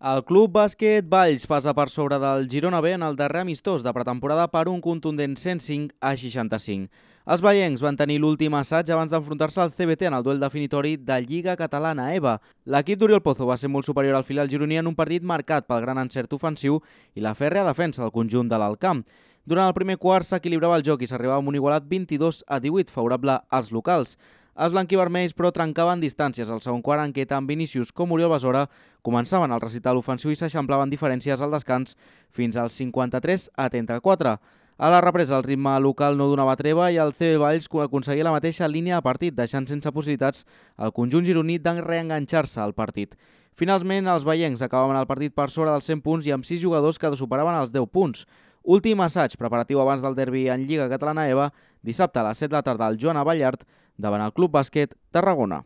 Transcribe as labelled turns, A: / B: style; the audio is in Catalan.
A: El Club Bàsquet Valls passa per sobre del Girona B en el darrer amistós de pretemporada per un contundent 105-65. Els vallencs van tenir l'últim assaig abans d'enfrontar-se al CBT en el duel definitori de Lliga Catalana EVA. L'equip d'Oriol Pozo va ser molt superior al filial gironí en un partit marcat pel gran encert ofensiu i la fèrrea defensa del conjunt de l'Alt Camp. Durant el primer quart s'equilibrava el joc i s'arribava amb un igualat 22-18 favorable als locals. Els blanquivermells, però, trencaven distàncies al segon quart en què tant Vinícius com Oriol Besora començaven el recital ofensiu i s'eixamplaven diferències al descans fins als 53-34. A la represa el ritme local no donava treva i el CB Valls aconseguia la mateixa línia de partit, deixant sense possibilitats el conjunt gironí de reenganxar-se al partit. Finalment, els vallencs acabaven el partit per sobre dels 100 punts i amb 6 jugadors que superaven els 10 punts. Últim assaig preparatiu abans del derbi en Lliga Catalana EVA, dissabte a les 7 de la tarda al Joan Abellart, davant el Club Bàsquet Tarragona.